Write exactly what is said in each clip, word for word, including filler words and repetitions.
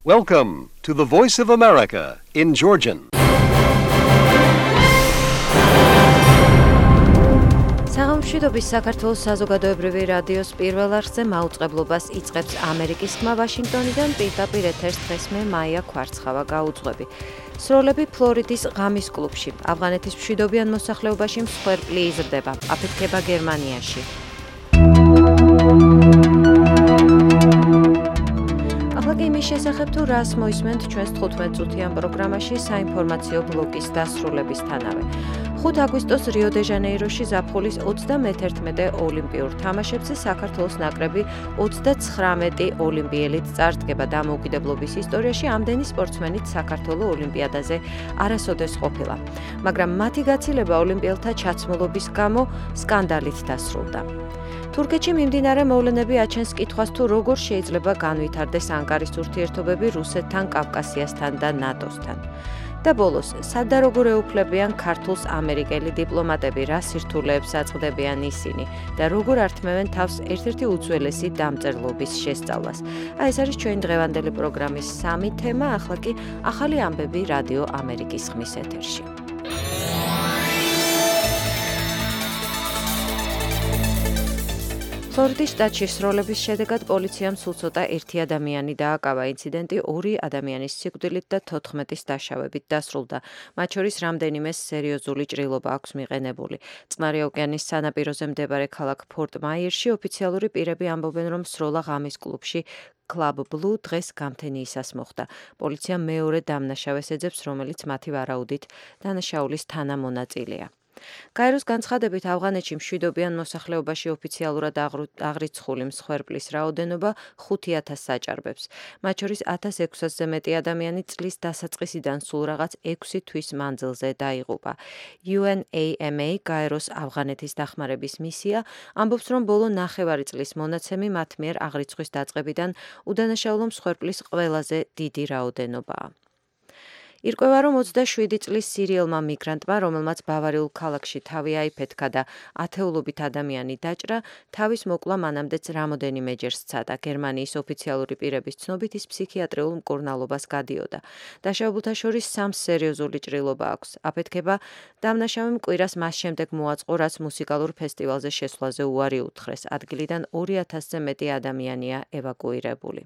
Welcome to the Voice of America in Georgian. საღამოშვიდობის საქართველოს საზოგადოებრივი რადიოს პირველ არხზე მაუწყებლობას იწყებს ამერიკის ხმა ვაშინგტონიდან პირდაპირ ეთერს დღეს მე მაია ქვარცხავა გაუძღვები. სროლები ფლორიდის ღამის კლუბში, ავღანეთის მშვიდობიან მოსახლეობაში მსხვერპლი იზრდება, აფეთქება გერმანიაში. ახლა იმის შესახებ თუ რას მოისმენთ ჩვენს თხუთმეტ წუთიან პროგრამაში საინფორმაციო ბლოკის დასრულებისთანავე. ხუთი აგვისტოს რიო-დე-ჟანეიროში ზაფხულის ოცდამეთერთმეტე ოლიმპიურ თამაშებზე საქართველოს ნაკრები ოცდაცხრამეტი ოლიმპიელით წარდგება დამოუკიდებლობის ისტორიაში ამდენი სპორტსმენით საქართველოს ოლიმპიადაზე არასოდეს ყოფილა. მაგრამ მათი გაცილება ოლიმპიელთა ჩაცმულობის გამო სკანდალით დასრულდა. თურქეთში მიმდინარე მოვლენები აჩენს კითხვას თუ როგორ შეიძლება განვითარდეს ანკარის ურთიერთობები რუსეთთან, კავკასიასთან და ნატოსთან. და ბოლოს, სად და როგორ ეუფლებიან ქართულს ამერიკელი დიპლომატები, რა სირთულეებს აწყდებიან ისინი და როგორ ართმევენ თავს ერთ-ერთი უძველესი დამწერლობის შესწავლას. აი ეს არის ჩვენი დღევანდელი პროგრამის სამი თემა, ახლა კი ახალი ამბები რადიო ამერიკის ხმის ეთერში. ფლორიდის შტატში სროლების შედეგად პოლიციამ სულ ცოტა ერთი ადამიანი დააკავა. ინციდენტი ორი ადამიანის სიკვდილით და თოთხმეტის დაშავებით დასრულდა. მათ შორის რამდენიმე სერიოზული ჭრილობა აქვს მიყენებული. წყნარი ოკეანის სანაპიროზე მდებარე ქალაქ ფორტ-მაიერში ოფიციალური პირები ამბობენ, რომ სროლა ღამის კლუბში Club Blue დღეს გამთენიისას მოხდა. პოლიცია მეორე დამნაშავეს ეძებს, რომელიც მათი ვარაუდით დანაშაულის თანამონაწილეა. გაეროს განცხადებით ავღანეთში მშვიდობიან მოსახლეობაში ოფიციალურად აღრიცხული მსხვერპლის რაოდენობა ხუთი ათასს აჭარბებს. მათ შორის ათას ექვსასზე მეტი ადამიანი წლის დასაწყისიდან სულ რაღაც ექვსი თვის მანძილზე დაიღუპა. U N A M A გაეროს ავღანეთის დახმარების მისია ამბობს, რომ ბოლო ნახევარი წლის მონაცემი მათ მიერ აღრიცხვის დაწყებიდან უდანაშაულო მსხვერპლის ყველაზე დიდი რაოდენობაა. ირკვევა, რომ ოცდაშვიდი წლის სირიელმა მიგრანტმა, რომელმაც ბავარიულ ქალაქში თავი აიფეთქა და ათეულობით ადამიანი დაჭრა, თავის მოკლა მანამდეც რამოდენიმეჯერ სცადა. გერმანიის ოფიციალური პირების ცნობით ის ფსიქიატრიულ მკურნალობას გადიოდა. დაშავებულთა შორის სამს სერიოზული ჭრილობა აქვს. აფეთქება დამნაშავემ კვირას მას შემდეგ მოაწყო, რაც მუსიკალურ ფესტივალზე შესვლაზე უარი უთხრეს. ადგილიდან ორი ათასზე მეტი ადამიანია ევაკუირებული.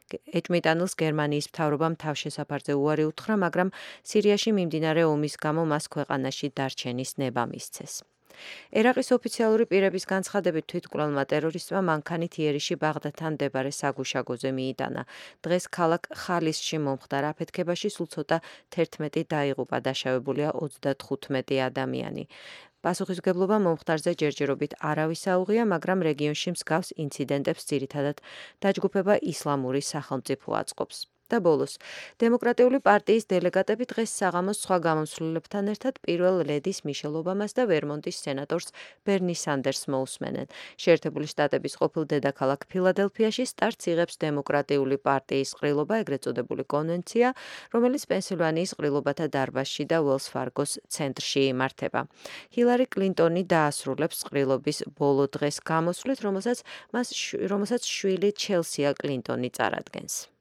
ეჭვმიტანილს გერმანიის მთავრობამ თავშესაფარზე უარი უთხრა, მაგრამ სირიაში მიმდინარე ომის გამო მას ქვეყანაში დარჩენის ნება მისცეს. ერაყის ოფიციალური პირების განცხადებით თვითმკვლელმა ტერორისტმა მანქანით იერიში ბაღდადთან მდებარე საგუშაგოზე მიიტანა. დღეს ქალაქ ხალისში მომხდარ აფეთქებაში სულ ცოტა თერთმეტი დაიღუპა, დაშავებულია ოცდათხუთმეტი ადამიანი. პასუხისმგებლობა მომხდარზე ჯერჯერობით არავის აუღია, მაგრამ რეგიონში მსგავს ინციდენტებს ძირითადად დაჯგუფება ისლამური სახელმწიფო აწყობს. და ბოლოს, დემოკრატიული პარტიის დელეგატები დღეს საღამოს სხვა გამომცვლელებთან ერთად პირველ ლედის მიშელ ობამას და ვერმონტის სენატორს ბერნი სანდერსს მოусმენენ. შეერთებული შტატების ყოფილ დედაქალაქ ფილადელფიაში სტარტს იღებს დემოკრატიული პარტიის ყრილობა, ეგრეთ წოდებული კონვენცია, რომელიც პენსილვანიის ყრილობათა დარბაზში და უელს ფარგოს ცენტრში იმართება. ჰილარი კლინტონი დაასრულებს ყრილობის ბოლო დღეს გამოსვლით, რომელსაც მას რომელსაც შვილი ჩელსია კლინტონი წარადგენს.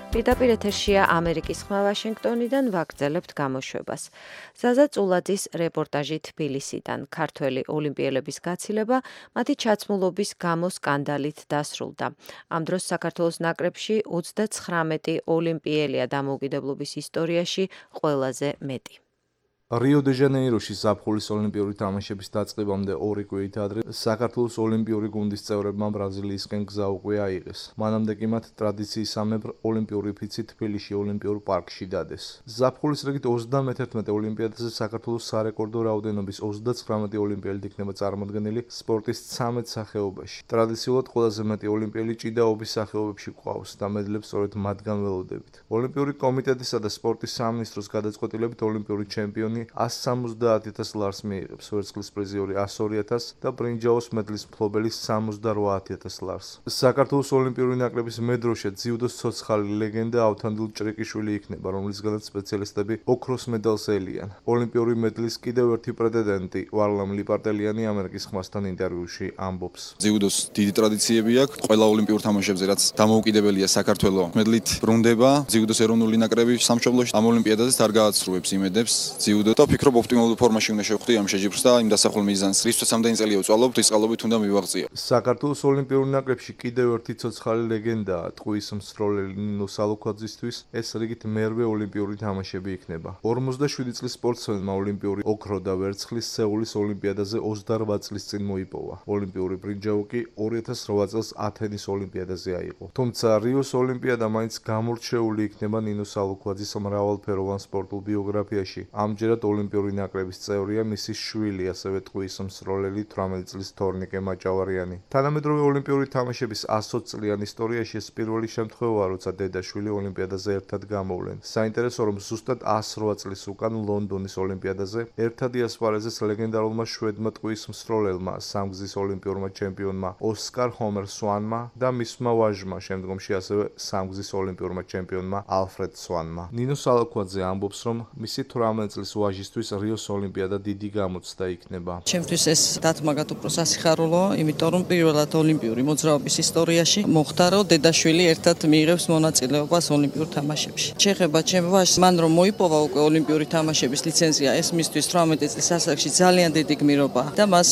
პირდაპირ ეთერშია ამერიკის ხმა ვაშინგტონიდან, ვაგრძელებთ გამოშვებას. ზაზა წულაძის რეპორტაჟი თბილისიდან. ქართველი ოლიმპიელების გაცილება მათი ჩაცმულობის გამო სკანდალით დასრულდა. ამ დროს საქართველოს ნაკრებში ოცდაცხრამეტი ოლიმპიელია დამოუკიდებლობის ისტორიაში ყველაზე მეტი. რიო-დე-ჟანეიროში ზაფხულის ოლიმპიური თამაშების დაწყებამდე ორი კვირით ადრე საქართველოს ოლიმპიური გუნდის წევრებმა ბრაზილიისკენ გზა უკვე აიღეს. მანამდე კი მათ ტრადიციისამებრ ოლიმპიური ფიცი თბილისში ოლიმპიურ პარკში დადეს. ზაფხულის რიგით ოცდამეთერთმეტე ოლიმპიადაზე საქართველოს სარეკორდო რაოდენობის ოცდაცხრამეტი ოლიმპიელი იქნება წარმოდგენილი სპორტის ცამეტ სახეობაში. ტრადიციულად ყველაზე მეტი ოლიმპიელი ჭიდაობის სახეობებში გვყავს და მედლებს სწორედ მათგან ველოდებით. ოლიმპიური კომიტეტისა და სპორტის სამინისტროს გადაწყვეტილებით ოლიმპიური ჩემპიონი პარალიანი one hundred seventy thousand ლარს მიიღებს, ვერცხლის პრიზიორი one hundred two thousand და ბრინჯაოს medlis მფლობელი seventy-eight thousand ლარს. საქართველოს ოლიმპიური ნაკრების მედროშე ძიუდოს ცოცხალი ლეგენდა ავთანდილ ჭრიკიშვილი იქნება, რომლისგანაც სპეციალისტები ოქროს მედალს ელიან. ოლიმპიური მედლის კიდევ ერთი პრეტენდენტი ვარლამ ლიპარტელიანი ამერიკის ხმასთან ინტერვიუში ამბობს. ძიუდოს დიდი ტრადიციები აქვს, ყველა ოლიმპიურ თამაშებზე რაც დამოუკიდებელია საქართველოს მედლით ბრუნდება. ძიუდოს ეროვნული ნაკრები სამშობლოში ამ ოლიმპიადაზეც არ გააცრუებს იმედებს ძიუდო და ფიქრობ ოპტიმალურ ფორმაში უნდა შევხვდი ამ შეჯიბრს და იმ დასახულ მიზანს, რისთვისაც ამდენი წელია ვწვალობ, ის წყალობით უნდა მივაღწიო. საქართველოს ოლიმპიურ ნაკრებში კიდევ ერთი ცოცხალი ლეგენდაა ტყუის მსროლელი ნინო სალუქვაძისთვის, ეს რიგით მერვე ოლიმპიური თამაშები იქნება. forty-seven წლის სპორტსმენმა ოლიმპიური ოქრო და ვერცხლის სეულის ოლიმპიადაზე twenty-eight წლის წინ მოიპოვა. ოლიმპიური ბრინჯაო კი two thousand eight წელს ათენის ოლიმპიადაზე აიღო. თუმცა რიოს ოლიმპიადა მაინც გამორჩეული იქნება ნინო სალუქვაძის მრავალფეროვან სპორტულ ბიოგრაფიაში. ამჯერად ოლიმპიური ნაკრების წევრია მისი შვილი, ასევე ტყუის მსროლელი eighteen წლის თორნიკე მაჭავარიანი. თანამედროვე ოლიმპიური თამაშების one hundred წლიან ისტორიაში ეს პირველი შემთხვევაა, როცა დედა-შვილი ოლიმპიადაზე ერთად გამოვლენ. საინტერესო რომ ზუსტად one hundred eight წლის უკან ლონდონის ოლიმპიადაზე ერთად იასპარეზეს ლეგენდარულმა შვედმა ტყუის მსროლელმა, სამგზის ოლიმპიურმა ჩემპიონმა ოსკარ ჰომერ სვანმა და მისმა ვაჟმა, შემდგომში ასევე სამგზის ოლიმპიურმა ჩემპიონმა ალფრედ სვანმა. ნინო სალუქვაძე ამბობს, რომ მისი eighteen წლის ვაჟისთვის რიოს ოლიმპიადა დიდი გამოცდა იქნება. ჩემთვის ეს დათმაგად უფრო სასიხარულოა, იმიტომ რომ პირველად ოლიმპიური მოძრაობის ისტორიაში მოხდა, რომ დედაშვილი ერთად მიიღებს მონაწილეობას ოლიმპიურ თამაშებში. შეეხება ჩემ ვაჟს, მან რომ მოიპოვა უკვე ოლიმპიური თამაშების ლიცენზია, ეს მისთვის eighteen წლის ასაკში ძალიან დიდი გმირობა და მას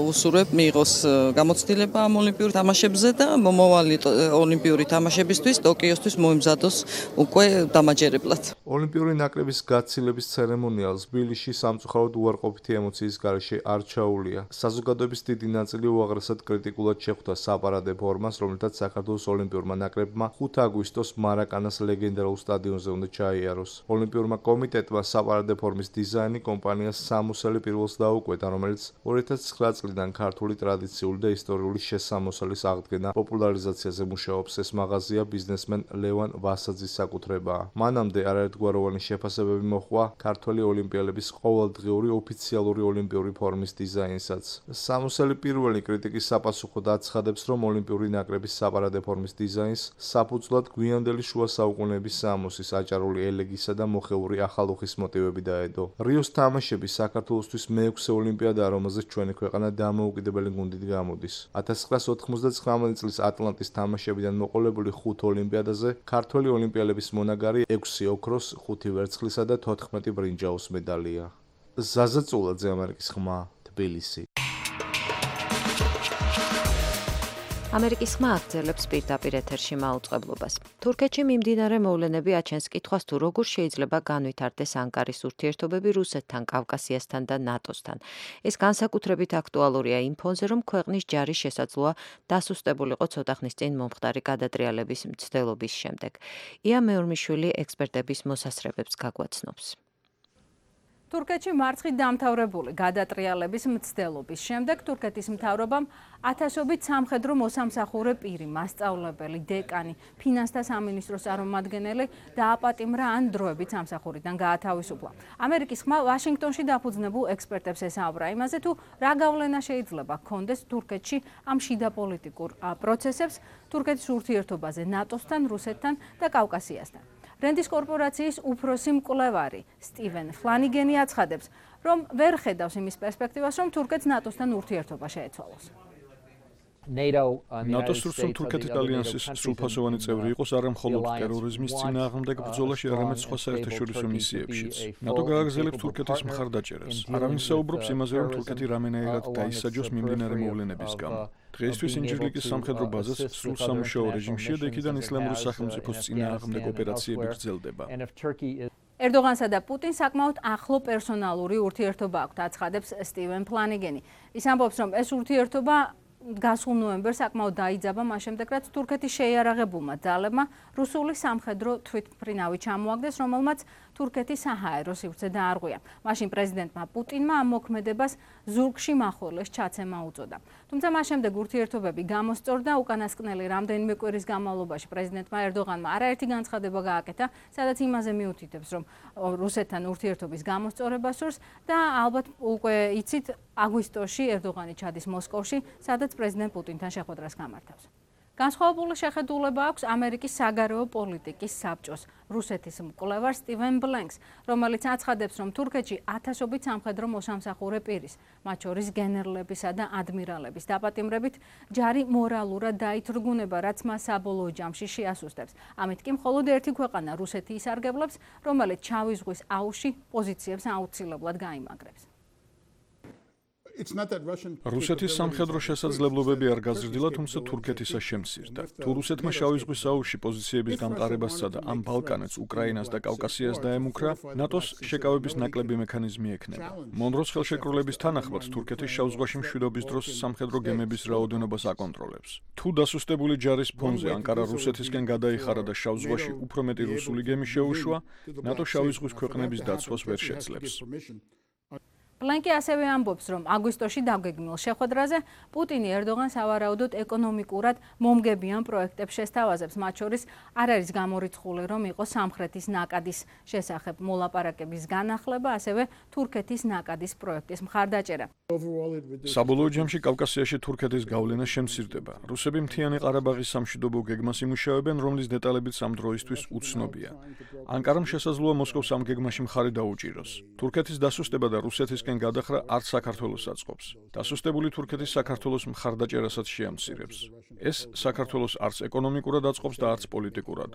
უსურვებ მიიღოს გამოცდილება ამ ოლიმპიურ თამაშებზე და მომავალი ოლიმპიური თამაშებისთვის ტოკიოსთვის მოემზადოს უკვე დამაჯერებლად. ოლიმპიური ნაკრების გაცილების ცერემონიალს თბილისში სამწუხაროდ უარყოფითი ემოციის გარეშე არ ჩაუვლია. საზოგადოების დიდი ნაწილი უაღრესად კრიტიკულად შეხვდა საპარადე ფორმას, რომლითაც საქართველოს ოლიმპიურმა ნაკრებმა ხუთი აგვისტოს მარაკანას ლეგენდარულ სტადიონზე უნდა ჩაიაროს. ოლიმპიურმა კომიტეტმა საპარადე ფორმის დიზაინი კომპანიას სამოსელი პირველს დაუკვეთა, რომელიც two thousand nine წლიდან ქართული ტრადიციული და ისტორიული შესამოსალის აღდგენა პოპულარიზაციაზე მუშაობს. ეს მაღაზია ბიზნესმენ ლევან ვასაძის საკუთრებაა. მანამდე არაერთგვაროვანი შეფასებები მოჰყვა ქართველი ოლიმპიელების ყოველდღიური ოფიციალური ოლიმპიური ფორმის დიზაინსაც. სამოსელი პირველი კრიტიკის საპასუხოდ აცხადებს, რომ ოლიმპიური ნაკრების საპარადე ფორმის დიზაინს საფუძვლად გვიანდელი შუა საუკუნეების სამოსის, აჭარული ელეგისა და მოხეური ახალუხის მოტივები დაედო. რიოს თამაშები საქართველოსთვის მეექვსე ოლიმპიადაა, რომელზეც ჩვენი ქვეყანა დამოუკიდებელი გუნდით გამოდის. nineteen ninety-nine წლის ატლანტის თამაშებიდან მოყოლებული ხუთ ოლიმპიადაზე ქართველი ოლიმპიელების მონაგარი ექვსი ოქროს, ხუთი ვერცხლისა და თოთხმეტი ბრინჯაოს მედალია. ზაზა წულაძე, ამერიკის ხმა, თბილისი. ამერიკის ხმა აგრძელებს პირდაპირ ეთერში მაუწყებლობას. თურქეთში მიმდინარე მოვლენები აჩენს კითხვას, თუ როგორ შეიძლება განვითარდეს ანკარის ურთიერთობები რუსეთთან, კავკასიასთან და ნატოსთან. ეს განსაკუთრებით აქტუალურია იმ ფონზე, რომ ქვეყნის ჯარი შესაძლოა დასუსტებულიყო ცოტა ხნის წინ მომხდარი გადატრიალების მცდელობის შემდეგ. ია მეორმიშვილი ექსპერტების მოსასწრებებს გაგვაცნობს. თურქეთში მარცხით დამთავრებული გადატრიალების მცდელობის შემდეგ თურქეთის მთავრობამ ათასობით სამხედრო მოსამსახურე პირი, მასწავლებელი, დეკანი, ფინანსთა სამინისტროს წარმომადგენელი დააპატიმრა ან დროებით სამსახურიდან გაათავისუფლა. ამერიკის ხმა ვაშინგტონში დაფუძნებულ ექსპერტებს ესაუბრა იმაზე, თუ რა გავლენა შეიძლება ჰქონდეს თურქეთში ამ შიდა პოლიტიკურ პროცესებს თურქეთის ურთიერთობაზე ნატოსთან, რუსეთთან და კავკასიასთან. რენდის კორპორაციის უფროსი მკვლევარი სტივენ ფლანიგენი აცხადებს, რომ ვერ ხედავს იმის პერსპექტივას, რომ თურქეთს ნატოსთან ურთიერთობა შეეცვალოს. ნატოს სრულ თურქეთის ალიანსის სრულფასოვანი წევრი იყოს არა მხოლოდ ტერორიზმის წინააღმდეგ ბრძოლაში, არამედ სხვა საერთაშორისო მისიებშიც. ნატო გააგრძელებს თურქეთის მხარდაჭერას. არავინ საუბრობს იმაზე, რომ თურქეთი რამენაირად დაისაჯოს მიმდინარე მოვლენების გამო. დღეისთვის ინჯირლიკის სამხედრო ბაზას სრულ სამუშაო რეჟიმშია და იქიდან ისლამური სახელმწიფოს წინააღმდეგ ოპერაციები გრძელდება. ერდოღანსა და პუტინს საკმაოდ ახლო პერსონალური ურთიერთობა აქვთ, აცხადებს სტივენ ფლანიგენი. ის ამბობს, რომ ეს ურთიერთობა გასულ ნოემბერს საკმაოდ დაიძაბა მას შემდეგ, რაც თურქეთის შეიარაღებულმა ძალებმა რუსული სამხედრო თვითმფრინავი ჩამოაგდეს, რომელმაც თურქეთის საჰაერო სივრცე დაარღვია. მაშინ პრეზიდენტმა პუტინმა ამ მოქმედებას ზურგში მახვილეს ჩაცემა უწოდა. თუმცა მას შემდეგ ურთიერთობები გამოსწორდა, უკანასკნელი რამდენიმე კვირის განმავლობაში პრეზიდენტმა ერდოღანმა არაერთი განცხადება გააკეთა, სადაც იმაზე მიუთითებს, რომ რუსეთთან ურთიერთობის გამოსწორება სურს და ალბათ უკვე იცით, აგვისტოში ერდოღანი ჩადის მოსკოვში, სადაც პრეზიდენტ პუტინთან შეხვედრას გამართავს. განსხვავებული შეხედულება აქვს ამერიკის საგარეო პოლიტიკის საბჭოს რუსეთის მკვლევარ სტივენ ბლენკს, რომელიც აცხადებს, რომ თურქეთში ათასობით სამხედრო მოსამსახურე პირის, მათ შორის გენერლებისა და ადმირალების დაპატიმრებით ჯარი მორალურად დაითრგუნება, რაც მას საბოლოო ჯამში შეასუსტებს. ამით კი მხოლოდ ერთი ქვეყანა რუსეთი ისარგებლებს, რომელიც შავი ზღვის აუზში პოზიციებს აუცილებლად გაიმაგრებს. რუსეთის სამხედრო შესაძლებლობები არ გაზრდილა, თუმცა თურქეთისა შემცირდა. თუ რუსეთმა შავი ზღვის აუზში პოზიციების გამყარებასა და ამ ბალკანეთს, უკრაინას და კავკასიას დაემუქრა, ნატოს შეკავების ნაკლები მექანიზმი ექნება. მონროს ხელშეკრულების თანახმად თურქეთის შავ ზღვაში მშვიდობის დროს სამხედრო გემების რაოდენობას აკონტროლებს. თუ დასუსტებული ჯარის ფონზე ანკარა რუსეთისკენ გადაიხარა და შავ ზღვაში უფრო მეტი რუსული გემი შეუშვა, ნატო შავი ზღვის ქვეყნების დაცვას ვერ შეძლებს. ბლენკი ასევე ამბობს, რომ აგვისტოში დაგეგმილ შეხვედრაზე პუტინი ერდოღანს სავარაუდოდ ეკონომიკურად მომგებიან პროექტებს შესთავაზებს, მათ შორის არ არის გამორიცხული, რომ იყოს სამხრეთის ნაკადის შესახებ მოლაპარაკების განახლება, ასევე თურქეთის ნაკადის პროექტის მხარდაჭერა. საბოლოო ჯამში კავკასიაში თურქეთის გავლენა შემცირდება. რუსები მთიანი ყარაბაღის სამშვიდობო გეგმას იმუშავებენ, რომლის დეტალებიც ამ დროისთვის უცნობია. ანკარამ შესაძლოა მოსკოვს ამ გეგმაში მხარი დაუჭიროს. თურქეთის დასუსტება და რუსეთის გადახრა არც საქართველოს აწყობს. დასუსტებული თურქეთის საქართველოს მხარდაჭერასაც შეამცირებს. ეს საქართველოს არც ეკონომიკურად აწყობს და არც პოლიტიკურად.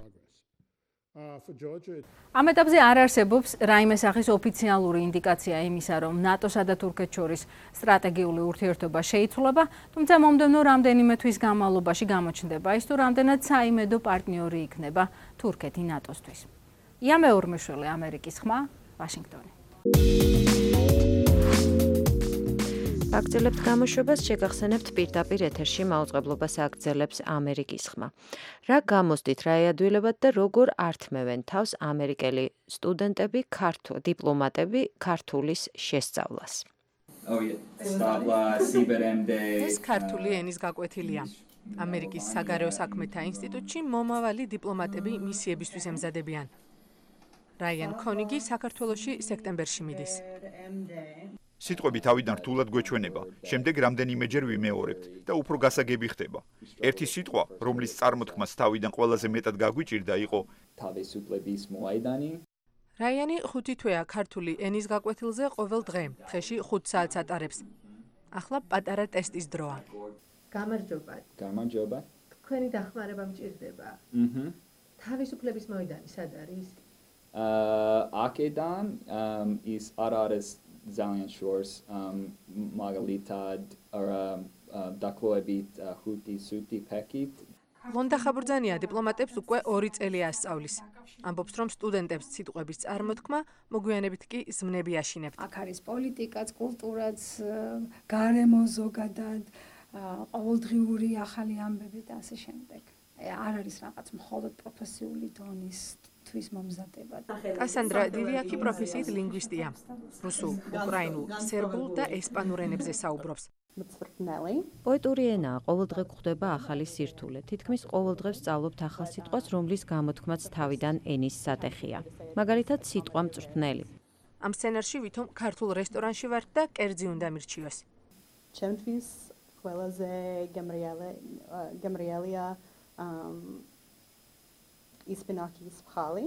ამ ეტაპზე არ არსებობს რაიმე სახის ოფიციალური ინდიკაცია იმისა, რომ ნატოსა და თურქეთს შორის სტრატეგიული ურთიერთობა შეიცვლება, თუმცა მომდევნო რამდენიმე თვის განმავლობაში გამოჩნდება ის, თუ რამდენად საიმედო პარტნიორი იქნება თურქეთი ნატოსთვის. ია მეორმეშვილი, ამერიკის ხმა, ვაშინგტონი. აგრძელებთ გამოშვებას, შეგახსენებთ პირდაპირ ეთერში მაუწყებლობას აგრძელებს ამერიკის ხმა. რა გამოსდით, რა ეადვილებათ და როგორ ართმევენ თავს ამერიკელი სტუდენტები, ქართულ დიპლომატები ქართულის შესწავლას. ეს ქართული ენის გაკვეთილია. ამერიკის საგარეო საქმეთა ინსტიტუტში მომავალი დიპლომატები მისიებისთვის ემზადებიან. რაიან ქონიგი საქართველოში სექტემბერში მიდის. სიტყვები თავიდან რთულად გვეჩვენება, შემდეგ რამდენიმეჯერ ვიმეორებთ და უფრო გასაგები ხდება. ერთი სიტყვა, რომლის წარმოთქმას თავიდან ყველაზე მეტად გაგვიჭირდა, იყო თავისუფლების მოედანი. რაიანი ხუთი თვეა ქართული ენის გაკვეთილზე ყოველ დღე, დღეში ხუთ საათს ატარებს. ახლა პატარა ტესტის დროა. გამარჯობა. გამარჯობა. თქვენი დახმარება მჭირდება. აჰა. თავისუფლების მოედანი სად არის? აა აქედან ის არ არის ძალიან შორს მაგალითად არა დაკლოებით ხუთი სუთი პაკეტ. ლონდა ხაბურძანია დიპლომატებს უკვე ორი წელი ასწავლის. ამბობს, რომ სტუდენტებს სიტყვების წარმოთქმა მოგვიანებით კი ზმნები აშინებთ. აქ არის პოლიტიკაც, კულტურაც, გარემო ზოგადად, ყოველდღიური ახალი ამბები და ასე შემდეგ. არ არის რაღაც მხოლოდ პროფესიული დონის თვის მომზადება. კასანდრა დივიაკი პროფესიით ლინგვისტია. რუსულ, უკრაინულ, სერბულ და ესპანურ ენებზე საუბრობს. პოეტური ენაა, ყოველდღე გვხვდება ახალი სირთულე. თითქმის ყოველდღე ვსწავლობთ ახალ სიტყვას, რომლის გამოთქმაც თავიდან ენის სატეხია. მაგალითად, სიტყვა მწვრთნელი. ამ სცენარში ვითომ ქართულ რესტორანში ვართ და კერძი უნდა მირჩიოს. ჩემთვის ყველაზე გემრიელია ისპინაქის მხალი.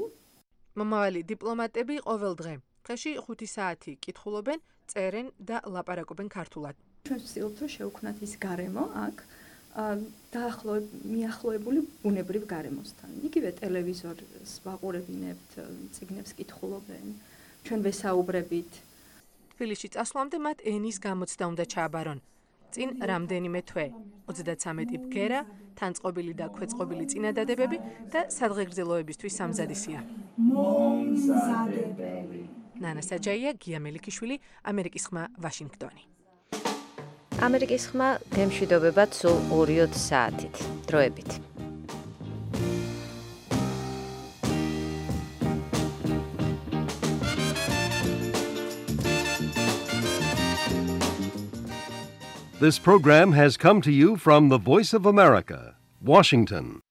მომავალი დიპლომატები ყოველ დღე, დღეში ხუთი საათი კითხულობენ, წერენ და ლაპარაკობენ ქართულად. ჩვენ ვცდილობთ, რომ შევქმნათ ის გარემო აქ დაახლოებით მიახლოებული ბუნებრივ გარემოსთან. იგივე ტელევიზორს ვაყურებინებთ, წიგნებს კითხულობენ, ჩვენ ვესაუბრებით. თბილისში წასვლამდე მათ ენის გამოცდა უნდა ჩააბარონ. წინ რამდენიმე თვე, ოცდაცამეტი ბგერა, თანწყობილი და ქვეწყობილი წინადადებები და სადღეგრძელოებისთვის სამზადისია. მომზადებელი. ნანა საჯაია, გია მელიქიშვილი, ამერიკის ხმა, ვაშინგტონი. ამერიკის ხმა გემშვიდობებათ სულ ორი საათით. დროებით. This program has come to you from the Voice of America, Washington.